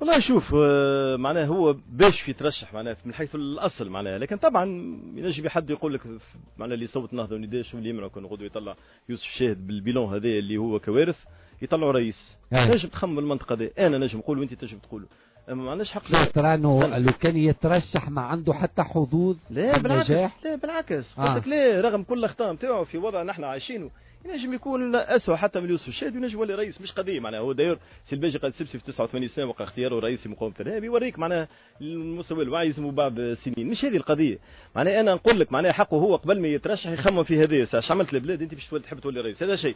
والله شوف، معناها هو باش يترشح معناها من حيث الاصل معناها، لكن طبعا ينجم حد يقول لك معناها اللي صوت نهضة ونداء شو اللي يمنعوا كان غدوه يطلع يوسف الشاهد بال bilan هذا اللي هو كوارث يطلعوا رئيس. نجم تخمم المنطقة دي، انا نجم نقول وانت تنجم تقول، اما ما عندناش حق. ترى انه لو كان يترشح ما عنده حتى حظوظ؟ لا بالعكس، لا بالعكس، قلت لك لا، رغم كل الاخطاء نتاعو في وضع نحن عايشينه ينجم يكون اسوء حتى من يوسف الشاهد وينجم يولي رئيس، مش قضية معناها. هو d'ailleurs سي الباجي قائد السبسي في 89 سنة وقع اختياره رئيس مقاومة الارهاب، يوريك معناها المستوى الوعي يلزموا بعض سنين، مش هذه القضية. معناها انا نقول لك معناها حقه هو قبل ما يترشح يخمم في هذه، اش عملت البلاد انت باش تحب تولي رئيس، هذا شيء.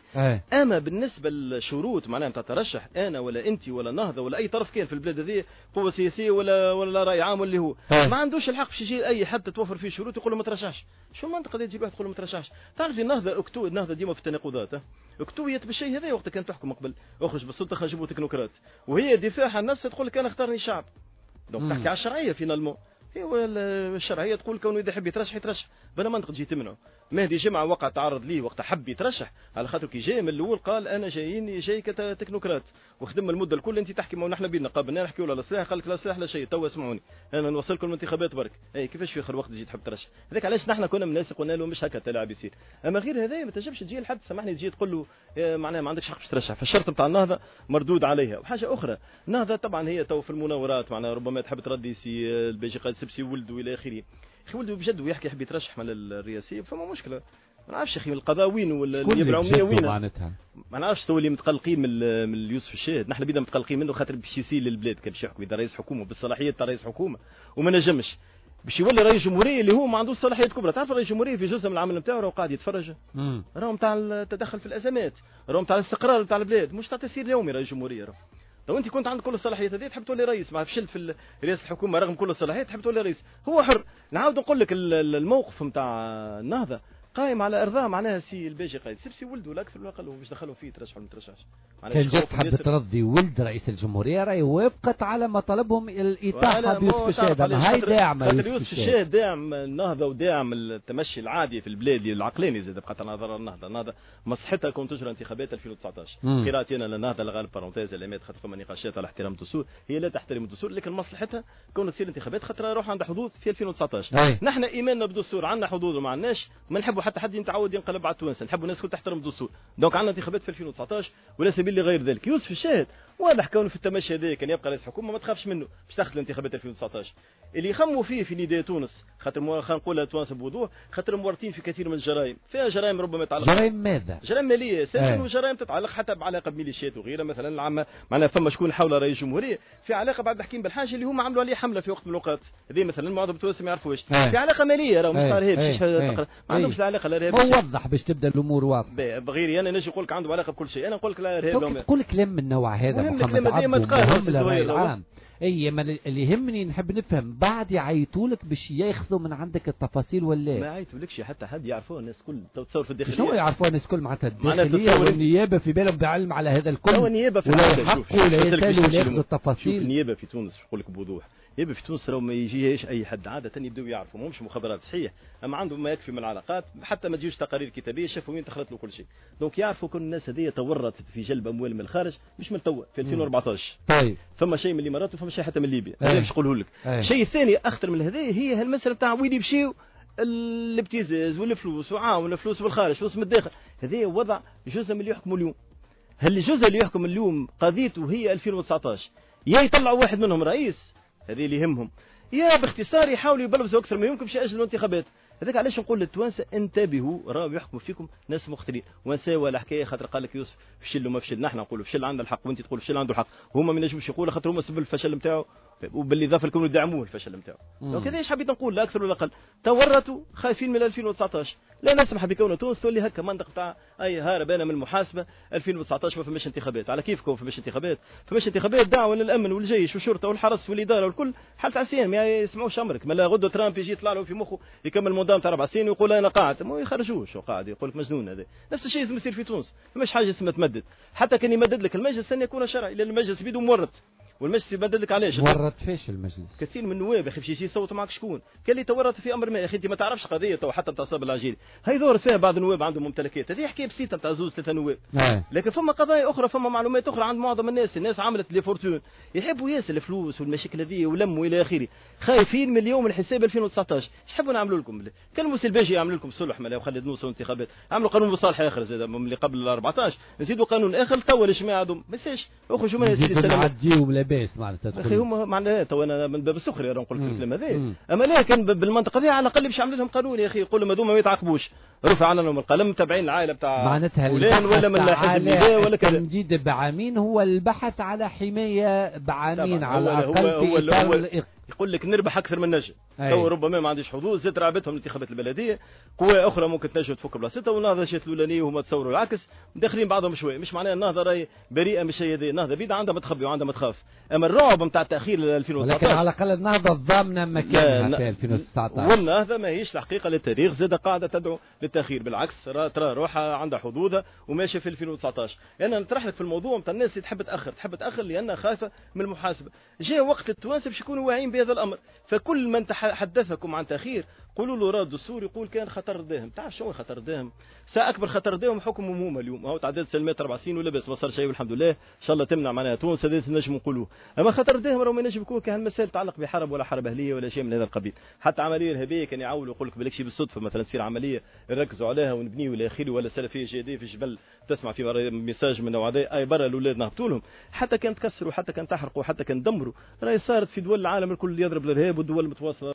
اما بالنسبة للشروط معناها نتاع الترشح، انا ولا انت ولا النهضة ولا اي طرف كان في البلاد هذه قوة سياسية ولا راي عام واللي هو ما عندوش الحق باش يجي اي حد تتوفر فيه شروط يقول له ما ترشحش. شو المنطقة اللي تجيب واحد تقول له ما ترشحش؟ تعرف النهضة النهضة ديما في التناقضات، اكتويت بالشيء هذا وقت كان تحكم قبل، اخرج بالسلطة خرجوا تكنوقراط، وهي دفاعها عن نفسها تقول لك انا اختارني الشعب. donc تحكي على الشرعية finalement، هي الشرعية تقول كونه اذا حب يترشح يترشح، بلا منطق تجي تمنعه. مهدي جمعه وقع تعرض ليه وقت حب يترشح، على خاطر كي جاي من الاول قال انا جاي كتكنوقراط وخدم المدة الكل. انت تحكي ما نحن بينا قابلنا نحكيوا لا سلاح، قال لك لا سلاح لا شيء، توا اسمعوني انا نوصلكم الانتخابات برك. اي كيفاش في اخر وقت تجي تحب ترشح؟ هذاك علاش نحن كنا من الناس قلنا له مش هكا التلاعب يصير. اما غير هذا ما تنجمش تجي لحد سامحني تجي تقول له معناها ما عندكش حق باش ترشح. فالشرط نتاع النهضة مردود عليها. وحاجه اخرى، النهضة طبعا هي تو في المناورات معناها ربما تحب تردي سي الباجي قائد سبسي ولده والى اخره. اخي ولده بجد ويحكي يحب يترشح من الرئاسية، فما مشكلة. ما نعرفش اخي القضاء وين ولا النيابة العمومية وين معناتها. ما نعرفش تو اللي متقلقين من يوسف الشاهد، نحن بينا متقلقين منه خاطر باش يسيل للبلاد، كان باش يحكم اذا رئيس حكومة بالصلاحيات تاع رئيس حكومة وما نجمش باش يولي رئيس جمهورية اللي هو ما عندوش صلاحيات كبرى. تعرف رئيس جمهورية في جزء من العمل نتاعو راهو قاعد يتفرج، راهو نتاع التدخل في الازمات، راهو نتاع الاستقرار نتاع البلاد، مش تاع تسيير اليومي رئيس جمهورية. راهو لو انت كنت عندك كل الصلاحيات هذه تحب تولي رئيس، ما فشلت في رئاسة الحكومة رغم كل الصلاحيات تحب تولي رئيس، هو حر. نعاود نقول لك الموقف نتاع النهضة قائم على ارضاء معناها سي الباجي قائد سبسي ولده لا اكثر ولا اقل، باش دخلوا فيه ترشحوا ولا ما ترشحش. كان جات تحب ترضي ولد رئيس الجمهورية راهي وافقت على مطالبهم الاطاحه بيوسف الشاهد، هاي داعمه يوسف الشاهد، داعم النهضة وداعم التمشي العادي في البلاد العقلاني زاد بقى نظر النهضة. النهضة مصلحتها كون تجرى انتخابات 2019. قراءتي انا للنهضه الغالب parenthèse اللي خاطر فما نقاشات على احترام الدستور، هي لا تحترم الدستور لكن مصلحتها كون تصير انتخابات خاطر روح عندها حظوظ في 2019. نحن ايماننا بالدستور، عندنا حظوظ وما عندناش، ما نحبوا حتى حد يتعود ينقلب على التوانسة، نحبوا الناس الكل تحترم الدستور. donc عندنا انتخابات في 2019 ولا سبيل لغير ذلك. يوسف الشاهد واضح كونه في التمشي هذا كان يبقى رئيس حكومة ما تخافش منه باش تاخذ الانتخابات 2019. اللي يخموا فيه في نداء تونس خاطر خلينا نقولها تونس بوضوح، خاطر مورطين في كثير من الجرائم، فيها جرائم ربما تتعلق جرائم ماذا؟ جرائم ماليه اساسا وجرائم تتعلق حتى بعلاقة بميليشيات وغيرها. مثلا العامة معناها فما شكون حول رئيس الجمهورية في علاقة بعد الحكيم بالحاج اللي هما عملوا عليه حمله في وقت من الاوقات، هذه مثلا معظم التوانسة ما يعرفوش. في علاقة ماليه راهو مش تاع ارهاب، ما عندهمش علاقة لا ارهاب. وضح باش تبدا الامور واضحة. بغيري انا نجي نقول لك عنده علاقة بكل شيء، انا نقول لك لا ارهاب. تقول كلام من النوع هذا محمد عبده اي ما اللي يهمني نحب نفهم بعد يعيطوا لك باش ياخذوا من عندك التفاصيل ولا ما يعيطولكش حتى حد، يعرفوه الناس الكل. تصور في الداخلية شنو يعرفوه الناس الكل؟ معناتها الداخلية والنيابه في بالهم بعلم على هذا الكل. هو النيابة في ولا يسالوا التفاصيل. شوف النيابة في تونس نقول لك بوضوح، النيابة في تونس راهو ما يجيهاش اي حد، عادة يبداو يعرفوا ماهمش مخابرات صحيح، اما عندهم ما يكفي من العلاقات، حتى ما تجيوش تقارير كتابيه شافوا وين دخلت له كل شيء. donc يعرفوا كل الناس هذه تورطت في جلب اموال من الخارج مش من توا في 2014. طيب فما شيء من الامارات وفما شيء حتى من ليبيا، هذا باش نقوله لك. الشيء الثاني اخطر من هذا هي هالمساله تاع وين يمشيو الابتزاز والفلوس وعاون الفلوس بالخارج فلوس من الداخل. هذا وضع جزء من اللي يحكموا اليوم. هل الجزء اللي يحكم اليوم قضيته هي 2019، يا يطلعوا واحد منهم رئيس هذه اللي يهمهم، يا باختصار يحاولوا يبلبسوا اكثر ما يمكن باش ياجلوا الانتخابات. هذاك علاش نقول للتوانسه انتبهوا، راهو يحكموا فيكم ناس مختلين. ونساو الحكاية خاطر قال لك يوسف فشل وما فشل، نحن نقولوا فشل عندنا الحق وانت تقول فشل عنده الحق، هما ما ينجموش يقولوا خاطر هما سبب الفشل نتاعو، وبالاضافة لكم يدعموه الفشل نتاعو. donc هذا ايش حبيت نقول لا اكثر ولا اقل. تورطوا خايفين من 2019، لا نسمح بكون تونس تولي هكا منطق تاع اي هارب انا من المحاسبة 2019 ما فماش انتخابات. على كيفكم ما فماش انتخابات؟ فماش انتخابات دعوه للامن والجيش والشرطة والحرس والادارة والكل حاله عصيان، ما يسمعوش امرك. ما غدوه ترامب يجي يطلع له في مخه يكمل mandat تاع 4 سنين ويقول انا قاعد، ما يخرجوش وقاعد يقول لك مجنون. هذا نفس الشيء لازم يصير في تونس، فماش حاجة اسمها تمدد. حتى كان يمدد لك المجلس لن يكون شرعي لان المجلس بيدو مورط. والمجلس يبدل لك علاش ورط فيش المجلس كثير من النواب يا اخي باش يجي يصوت معك شكون كان اللي تورط في امر ما يا اخي انت ما تعرفش قضية تو حتى نتاع صابر العجيلي هي ظهرت فيها بعض النواب عندهم ممتلكات، هذه حكاية بسيطة نتاع زوز ثلاثة نواب. لكن فما قضايا اخرى، فما معلومات اخرى عند معظم الناس، الناس عملت les fortunes، يحبوا ياسر الفلوس والمشاكل هذه ولموا الى اخره، خايفين من اليوم الحساب 2019. ايش تحبوا نعملوا لكم؟ كلموا سي الباجي يعمل لكم صلح مالا وخلي نوصلوا انتخابات، عملوا قانون مصالحه اخر زاد من اللي قبل ال 14، نزيدوا قانون اخر تو الجماعة هذوم ما يسالش اخرجوا منها سيدي سلام نعديهم لاباس معناتها. اخي هما معناها تو انا من باب السخرية نقول لك الكلام هذا، اما لكن بالمنطقة هذه على الاقل باش يعمل لهم قانون يا اخي، يقول لهم هذوما ما يتعاقبوش، رفع عنهم القلم تابعين العائلة بتاع معناتها فلان ولا من حزب النداء ولا كذا. التمديد بعامين هو البحث على حماية بعامين على الاقل هو في اطار يقول لك نربح اكثر من نجم. تو ربما ما عنديش حظوظ، زاد رعبتهم الانتخابات البلدية، قوى اخرى ممكن تنجم تفك بلاصتها، والنهضه جات الاولانية وهما تصوروا العكس، داخلين بعضهم شوية، مش معناها النهضة راهي بريئة من الشيء هذا، النهضة بيد عندها ما تخبي وعندها ما تخاف، اما الرعب نتاع التاخير ل 2019 ولكن على الاقل النهضة ضامنه مكانها في 2019. والنهضه ماهيش الحقيقة للتاريخ زاد قاعدة تدعو للتاخير، بالعكس ترى روحها عندها حظوظها وماشية في 2019. انا نطرح لك في الموضوع نتاع الناس اللي تحب تاخر، تحب تاخر لانها خايفة من المحاسبة. جاء وقت التوانسة باش يكونوا واعيين بهذا الامر، فكل من حدثكم عن تاخير قولوا له راه الدستور يقول كان خطر داهم. تعرف شنو خطر داهم؟ ساعة اكبر خطر داهم حكمهم هما اليوم، هاو تعداد سلمات 4 سنين ولا بس ما صار شيء والحمد لله، ان شاء الله تمنع معناها تونس هذا نجم نقولوه. اما خطر داهم راه ما ينجم يكون كان مسائل تتعلق بحرب ولا حرب اهليه ولا شيء من هذا القبيل، حتى عملية ارهابية كان يعاولوا يقول لك بالك بالصدفة مثلا تصير عملية نركزوا عليها ونبنيو الى اخره، ولا سلفية جديدة في الجبل تسمع في message من نوع هذا اي برا الاولاد نهبطوا لهم، حتى كان تكسروا حتى كان تحرقوا حتى كان دمروا، راهي صارت في دول العالم الكل يضرب الارهاب والدول المتواصلة.